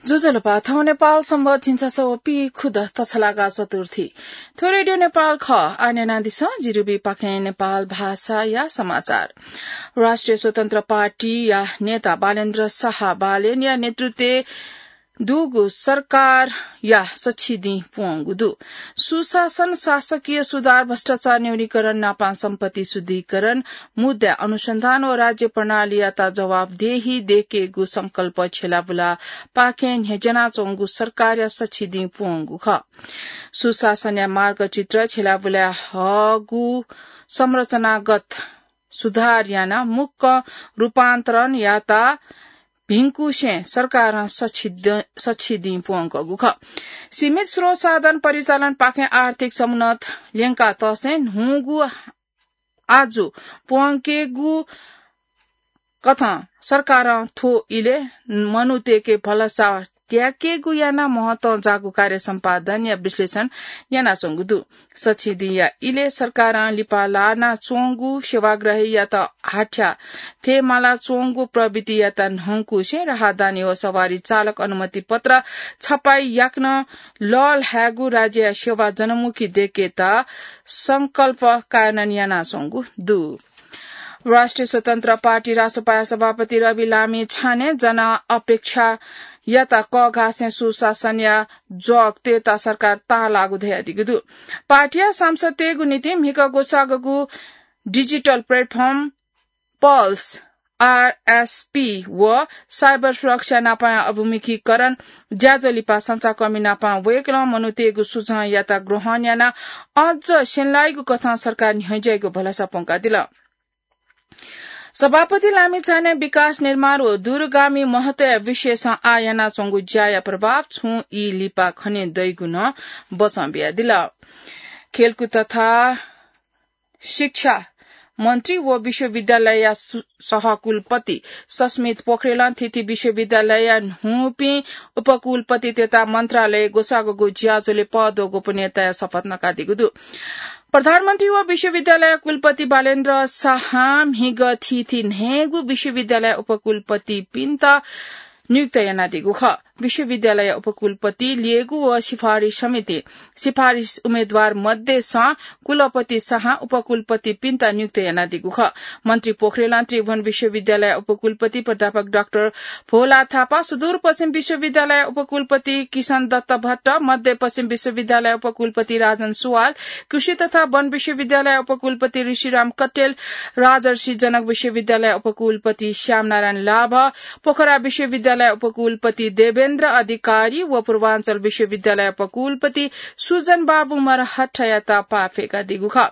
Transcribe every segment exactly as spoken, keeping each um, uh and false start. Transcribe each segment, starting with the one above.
ज्वजलपा, थौं नेपाल संवत् झिंछसः व पीखुदँ तछलागा चतुर्थी। थ्व रेडियो नेपाल खः। आः न्यनादिसँ जिरिबी पाखें नेपाल भाषाया समाचार। राष्ट्रिय स्वतन्त्र पार्टीया नेता बालेन्द्र शाह बालेनया नेतृत्वय् दुगु सरकारया सछि दिं प्वंगु दु। सुशासन, शासकीय सुधार, भ्रष्टाचार न्यूनीकरण नापं सम्पत्ति शुद्धिकरण, मुद्दा अनुसन्धान व राज्य प्रणालीयात जवाफदेही दयेकेगु संकल्प छ्यलाबुला पाखें न्ह्यज्यानाच्वंगु सरकारया सछि दिं प्वंगु खः। सुशासनया मार्गचित्र छ्यलाबुला हःगु संरचनागत सुधार यानाः मुक्क रूपान्तरणयात भिंकुसें सरकारं सछि द-, सछि दिं प्वंकूगु खः। सीमित स्रोत साधन परिचालन पाखें आर्थिक समुन्नत ल्यंका तसें न्हूगु आजु प्वंकेगु कथं सरकारं थ्व इलय् मनूतय्के भलसा त्याकेगु यानाः महत्वं जाःगु कार्य सम्पादनया विश्लेषण यानाच्वंगु दु। सछि दिंया इलय् सरकारं लिपा लानाच्वंगु सेवाग्राहीयात हाथ्या फयेमालाच्वंगु प्रवृत्तियात न्हंकुसें राहदानी व सवारी चालक अनुमति पत्र छपाई याकनं लःल्हायेगु राज्यया सेवा जनमुखी दयेकेत संकल्प कार्यान्वयन यानाच्वंगु दु। राष्ट्रिय स्वतन्त्र पार्टी रासोपाया सभापति रवि लामिछानें जनअपेक्षायात कःघासें सुशासनया जग तयेत सरकार ताःलाःगु धयादीगु दु। पार्टीया सांसदतय्गु निंतिं म्हिगः ग्वसाःगु डिजिटल प्लेटफर्म पल्स, आरएसपी व साइबर सुरक्षा नापं अभिमुखीकरण ज्याझ्वः लिपा संचारकर्मी नापं वय्कलं मनूतय्गु सुझावयात ग्रहण यानाः अझ स्यनेलाइगु कथं सरकार न्ह्यज्याइगु भलसा प्वंकादिल। सभापति लामिछानें विकास निर्माण व दूरगामी महत्वया विषयसं आः यानाच्वंगु ज्याया प्रभाव छुं ई लिपा खने दइगु नं बचं बियादिल। खेलकुद तथा शिक्षा मन्त्री व विश्वविद्यालयया सु-, सहकुलपति सस्मित पोखरेलं थीथी विश्वविद्यालयया न्हूपिं उपकुलपतितय्त मन्त्रालयय् ग्वसाःगु ज्याझ्वलय् पद व गोपनीयताया शपथ नकादीगु दु। प्रधानमन्त्री व विश्वविद्यालय कुलपति बालेन्द्र शाहं म्हिगः थीथी न्हय्गू विश्वविद्यालय उपकुलपतिपिन्त नियुक्त यानादीगु खः। विश्वविद्यालय उपकुलपति ल्ययेगु व सिफारिस समितिं सिफारिस उम्मेदवार मध्येसं कुलपति शाहं उपकुलपतिपिन्त नियुक्त यानादीगु खः। मन्त्री पोखरेलं त्रिभुवन विश्वविद्यालय उपकुलपति प्राध्यापक डाक्टर भोला थापा, सुदूरपश्चिम विश्वविद्यालय उपकुलपति किशन दत्त भट्ट, मध्यपश्चिम विश्वविद्यालय उपकुलपति राजन सुवाल, कृषि तथा वन विश्वविद्यालय उपकुलपति ऋषिराम कट्टेल, राजर्षि जनक विश्वविद्यालय उपकुलपति श्यामनारायण लाभ, पोखरा विश्वविद्यालय उपकुलपति देवेन्द्र अधिकारी व पूर्वाञ्चल विश्वविद्यालय उपकुलपति सुजन बाबु मरहट्टायात पाफेकादीगु खः।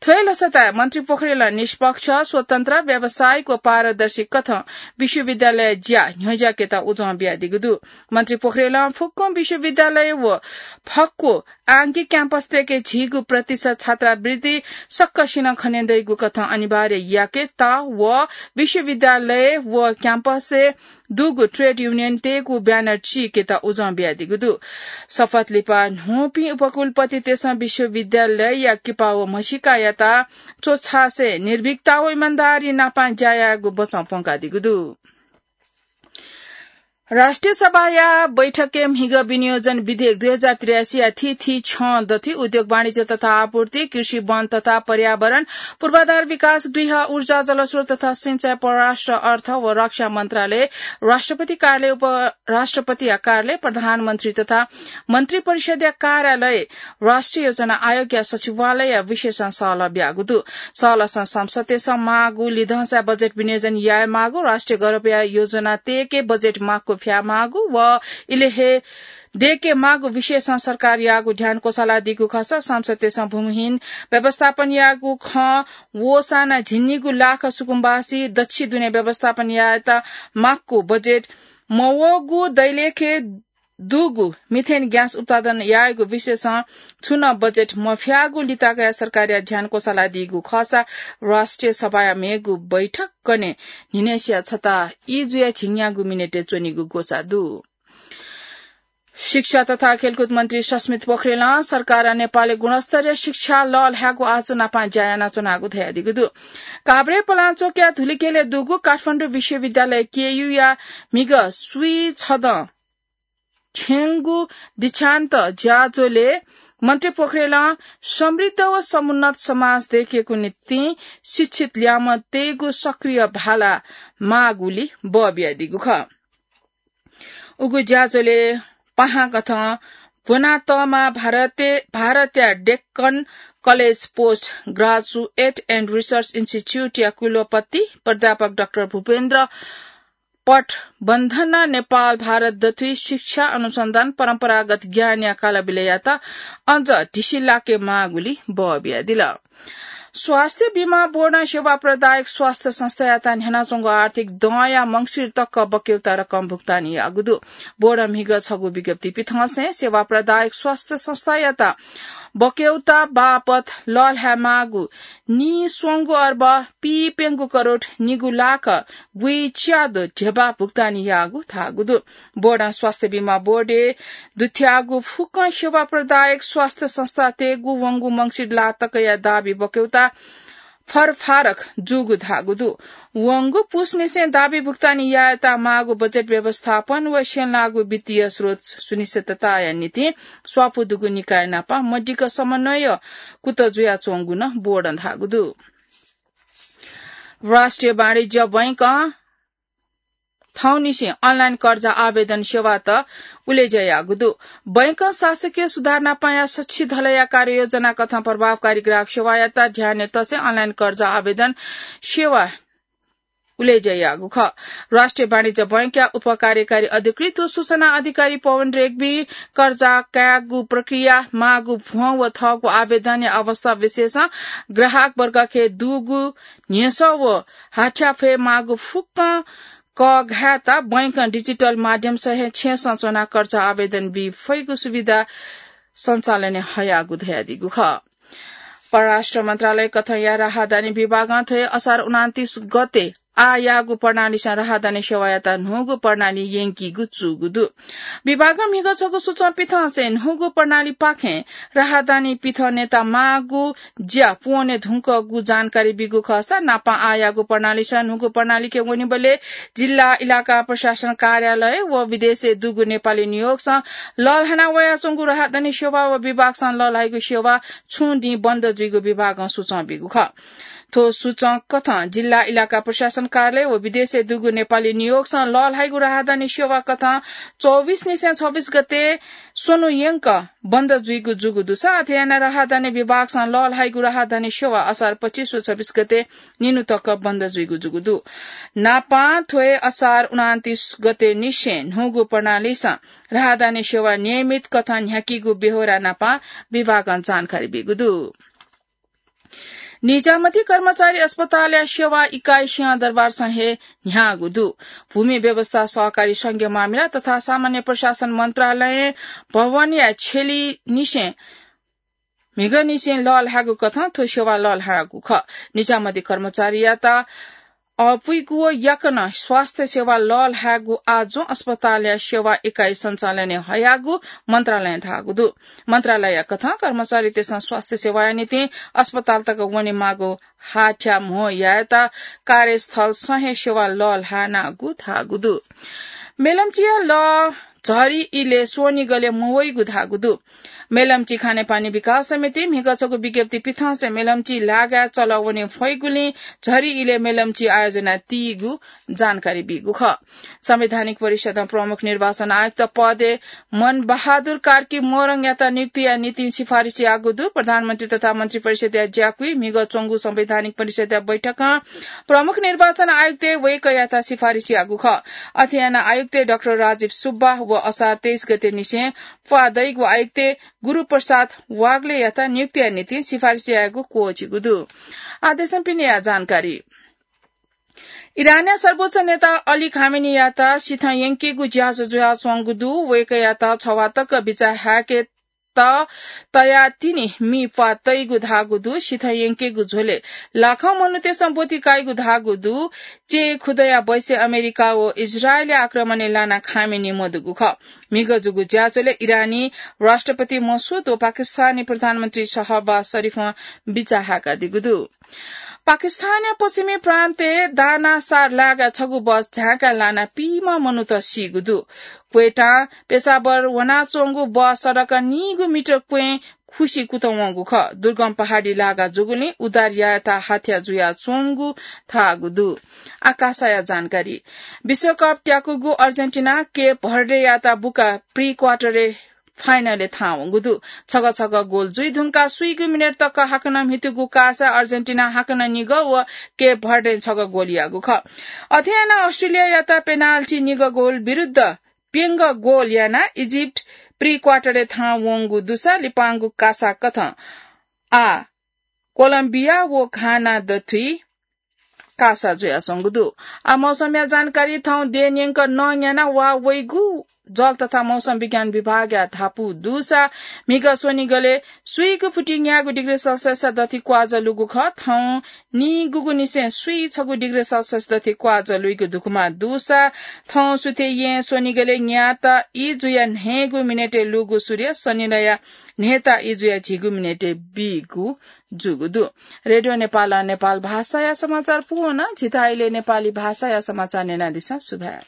थ्व हे लसताय् मन्त्री पोखरेलं निष्पक्ष, स्वतन्त्र, व्यावसायिक व पारदर्शी कथं विश्वविद्यालय ज्या न्ह्यज्याकेत उजं बियादीगु दु। मन्त्री पोखरेलं फुक्क विश्वविद्यालय व फक्व आंगिक क्याम्पसतय्के झीगु प्रतिशत छात्रावृत्ति सकसिनं खने दइगु कथं अनिवार्य याकेत व विश्वविद्यालय व क्याम्पसय् दुगु ट्रेड युनियनतय्गु ब्यानर चीकेत उजं बियादीगु दु। शपथ लिपा न्हूपिं उपकुलपतितय्सं विश्वविद्यालयया किपा व म्हसीकायात च्वछासें निर्भीकता व इमानदारी नापं ज्या यायेगु बचं प्वंकादीगु दु। राष्ट्रिय सभाया बैठकय् म्हिगः विनियोजन विधेयक दुई हजार त्रियासीया थीथी छ्यं दथुइ उद्योग, वाणिज्य तथा आपूर्ति, कृषि, वन तथा पर्यावरण, पूर्वाधार विकास, गृह, ऊर्जा, जलस्रोत तथा सिंचाई, परराष्ट्र, अर्थ व रक्षा मन्त्रालय, राष्ट्रपति कार्यालय, उपराष्ट्रपतिया कार्यालय, प्रधानमन्त्री तथा मन्त्री परिषदया कार्यालय, राष्ट्रिय योजना आयोगया सचिवालयया विषयसं सहलह ब्याःगु दु। सहलहसं संसदय्सं माःगु लिधंसाय् बजेट विनियोजन यायेमाःगु, राष्ट्रिय गौरवया योजनातय्के बजेट माक्व फ्यायेमाःगु व इलय् हे दयेकेमाःगु विषयसं सरकारयागु ध्यान क्वसालादीगु खःसा संसदय्सं भूमिहीन व्यवस्थापन यायेगु खँ वःसां नं झिंनिगू लाख सुकुम्बासी दच्छि दुने व्यवस्थापन यायेत माक्व बजेट मवःगु दैलेखय् दुगु मिथेन ग्यास उत्पादन यायेगु विषयसं छुं नं बजेट मफ्याःगु लिताकया सरकारया ध्यान क्वसालादीगु खःसा राष्ट्रिय सभाया मेगु बैठक कन्हय् न्हिनय्सिया छता ई जुयाः झिंन्यागू मिनेटय् च्वनीगु ग्वसाः दु। शिक्षा तथा खेलकुद मन्त्री सस्मित पोखरेलं सरकारं नेपालय् गुणस्तरीय शिक्षा लःल्हायेगु आशा नापं ज्या यानाच्वनागु धयादीगु दु। काभ्रे पलाञ्चोकया धुलिखेलय् दुगु काठमाडौं विश्वविद्यालय केयूया म्हिगः स्वीछदँ थ्यंगु दीक्षान्त ज्याझ्वलय् मन्त्री पोखरेलं समृद्ध व समुन्नत समाज दयेकेगु निंतिं शिक्षित ल्याय्म्ह तयेगु सक्रिय भाला माःगुली बः बियादीगु खः। उगु ज्याझ्वलय् पाहां कथं ब्वनातःम्ह भारतया Deccan college post graduate and research इन्स्टिच्युटया कुलपति प्राध्यापक डाक्टर भूपेन्द्र पटबन्धन नेपाल भारत दथुइ शिक्षा अनुसन्धान परम्परागत ज्ञानया कालबिलय्‌यात अझ ढिसि लाके माःगुली बः बियादिल। स्वास्थ्य बीमा बोर्डं सेवा प्रदायक स्वास्थ्य संस्थायात न्ह्यानाच्वंगु आर्थिक दँया मंसिर तक बक्यौता रकम भुक्तानी याःगु दु। बोर्डं म्हिगः छगू विज्ञप्ति पिथंसें सेवा प्रदायक स्वास्थ्य संस्थायात बक्यौता बापत लःल्हाये माःगु नीस्वंगू अर्ब पीप्यंगू करोड निगू लाख गुइच्यादँ ध्यबा भुक्तानी याःगु धाःगु दु। बोर्डं स्वास्थ्य बीमा बोर्डय् दुथ्याःगु फुक्कं सेवा प्रदायक स्वास्थ्य संस्थातय्‌गु वंगु मंसिर ला तकया दाबी बक्यौता फरफारक जूगु धाःगु दु। वंगु पुसनिसें दाबी भुक्तानी यायेत माःगु बजेट व्यवस्थापन व स्यंलाःगु वित्तीय स्रोत सुनिश्चितताया निंतिं स्वापू दुगु निकाय नाप मदिक्क समन्वय कुतः जुयाच्वंगु नं बोर्डं धाःगु दु। राष्ट्रिय वाणिज्य बैंकं थौंनिसें अनलाइन कर्जा आवेदन सेवात उलेज्या याःगु दु। बैंकं शासकीय सुधार नापंया सछि धलया कार्ययोजना कथं प्रभावकारी ग्राहक सेवायात ध्यानय् तसें अनलाइन कर्जा आवेदन सेवा उलेज्या याःगु खः। राष्ट्रिय वाणिज्य बैंकया उपकार्यकारी अधिकृत व सूचना अधिकारी पवन रेग्मी कर्जा कायेगु प्रक्रिया, माःगु भ्वं व थःगु आवेदनया अवस्था विशेषं ग्राहक वर्गके दुगु न्ह्यसः व हाथ्याफय् माःगु फुक्कं कःघायेत बैंकं डिजिटल माध्यमसं हे छेँसं च्वनाः कर्जा आवेदन बी फइगु सुविधा सञ्चालनय् हयागु धयादीगु खः। परराष्ट्र मन्त्रालय कथंया राहदानी विभागं थ्व हे असार उनान्तीस गते आः याःगु प्रणालीसं राहदानी सेवायात न्हूगु प्रणाली यंकीगु जूगु दु। विभागं म्हिगः छगू सूचं पिथंसें न्हूगु प्रणालीपाखें राहदानी पिथनेत माःगु ज्या पूवने धुंकूगु जानकारी बीगु खःसा नापं आः याःगु प्रणालीसं न्हूगु प्रणालीके वनेबलय् जिल्ला इलाका प्रशासन कार्यालय व विदेशय् दुगु नेपाली नियोगसं लःल्हाना वयाच्वंगु राहदानी सेवा व विभागसं लःल्हाइगु सेवा छुं दिं बन्द जुइगु विभागं सूचं बीगु खः। थ्व सूचं कथं जिल्ला इलाका प्रशासन कार्यालय व विदेशय् दुगु नेपाली नियोगसं लःल्हाइगु राहदानी सेवा कथं चौबिस निसें छब्बिस गते स्वन्हु यंक बन्द जुइगु जूगु दुसा अथे यानाः राहदानी विभागसं लःल्हाइगु राहदानी सेवा असार पच्चिस व छब्बिस गते निन्हु तक बन्द जुइगु जूगु दु। नापं थ्व हे असार उनान्तीस गते निसें न्हूगु प्रणालीसं राहदानी सेवा नियमित कथं न्ह्याकीगु बेहोरा नापं विभागं जानकारी बीगु दु। निजामती कर्मचारी अस्पतालया सेवा इकाइ सिंहदरबारसं हे न्ह्याःगु दु। भूमि व्यवस्था, सहकारी संघीय मामिला तथा सामान्य प्रशासन मन्त्रालय भवनया छेलिनिसें म्हिगःनिसें लःल्हाःगु कथं थ्व सेवा लःल्हाःगु खः। निजामती कर्मचारीयात अःपुइगु व याकनं स्वास्थ्य सेवा लःल्हाःगु आजं अस्पतालया सेवा इकाइ सञ्चालनय् हयागु मन्त्रालयं धाःगु दु। मन्त्रालय कथं कर्मचारीतय्‌सं स्वास्थ्य सेवाया निंतिं अस्पताल तक वनेमाःगु हाथ्या म्हो यायेत कार्यस्थलसं हे सेवा लःल्हानागु धाःगु दु। मेलम्चीया लः झरी इलय् स्वनिगलय् मवइगु धाःगु दु। मेलम्ची खानेपानी विकास समितिं म्हिगः छगू विज्ञप्ति पिथंसें मेलम्ची लागाय् चलः वने फइगुलिं झरी इलय् मेलम्ची आयोजना तीगु जानकारी बीगु खः। संवैधानिक परिषदं प्रमुख निर्वाचन आयुक्त पदय् मनबहादुर कार्की मोरङयात नियुक्तिया निंतिं सिफारिस याःगु दु। प्रधानमन्त्री तथा मन्त्री परिषदया ज्याकुइ म्हिगः च्वंगु संवैधानिक परिषदया बैठकं प्रमुख निर्वाचन आयुक्तय् वय्‌कःयात सिफारिस याःगु खः। अथे यानाः आयुक्त डाक्टर राजीव सुब्बा व असार तेइस गते निसें प्वाः दइगु आयुक्त गुरुप्रसाद वाग्लेयात नियुक्तिया निंतिं सिफारिस यायेगु क्वःछिगु दु। आः देशं पिनेया जानकारी। इरानया सर्वोच्च नेता अली खामेनीयात सिथं यंकेगु ज्याझ्वः जुयाच्वंगु दु। वय्‌कःयात छवाः तक बिचाः हाय्‌केत तयाः तिनि मि प्वाः तइगु धाःगु दु। सिथं यंकेगु झ्वलय् लाखं मनूतय्‌सं ब्वति काइगु धाःगु दु। च्यय् खुदँया बैसय् अमेरिका व इजरायलया आक्रमणय् लानाः खामेनी मदुगु खः। म्हिगः जूगु ज्याझ्वलय् इरानी राष्ट्रपति मसुद व पाकिस्तानी प्रधानमन्त्री शहबाज शरीफं बिचाः हाय्‌कादीगु दु। पाकिस्तानया पश्चिमी प्रान्तय् दानासार लागा छगू बस झाँका लाना पीम्ह मनूत सीगु दु। क्वेटां पेशावर वनाच्वंगु बस सडक नीगू मिटर क्वें खुसि कुतः वंगु खः। दुर्गम पहाडी लागा जूगुलिं उद्धार यायेत हाथ्या जुयाच्वंगु धाःगु दु। आकाशया जानकारी। विश्वकप त्याकूगु अर्जेन्टिना केप भर्डेयात बुका प्री क्वार्टरय् फाइनलय् थाहां वंगु दु। छगः छगः गोल जुइ धुंकाः स्वीगू मिनेट तक हाकनं म्हितूगु कासा अर्जेन्टिना हाकनं निगः व केप भर्डें छगः गोल याःगु खः। अथे यानाः अस्ट्रेलियायात पेनाल्टी निगः गोल विरुद्ध प्यंगः गोल यानाः इजिप्ट प्री क्वार्टरय् थाहां वंगु दुसा लिपांगु कासा कथं आः कोलम्बिया व घाना दथुइ कासा जुयाच्वंगु दु। आ मौसमया जानकारी। थौं देय् न्यंक नं न्याना वा वइगु जल तथा मौसम विज्ञान विभागया धापू दुसा म्हिगः स्वनिगलय् स्वीगू फुति न्यागू डिग्री सेल्सियस दथि क्वाजः लूगु खः। थौं नीगूगु निसें स्वी छगू डिग्री सेल्सियस दथि क्वाजः लुइगु दुगुमा दुसा थौं सुथय् येँ स्वनिगलय् न्यात ई जुया न्हय्गू मिनेटय् लूगु सूर्य सनिलया न्हय्ता ई जुया झिगू मिनेटय् बीगु जूगु दु। रेडियो नेपालं नेपाल भाषाया समाचार पूवं नं झीथाय् नेपाली भाषाया समाचार न्यनादिसँ। सुभाय्।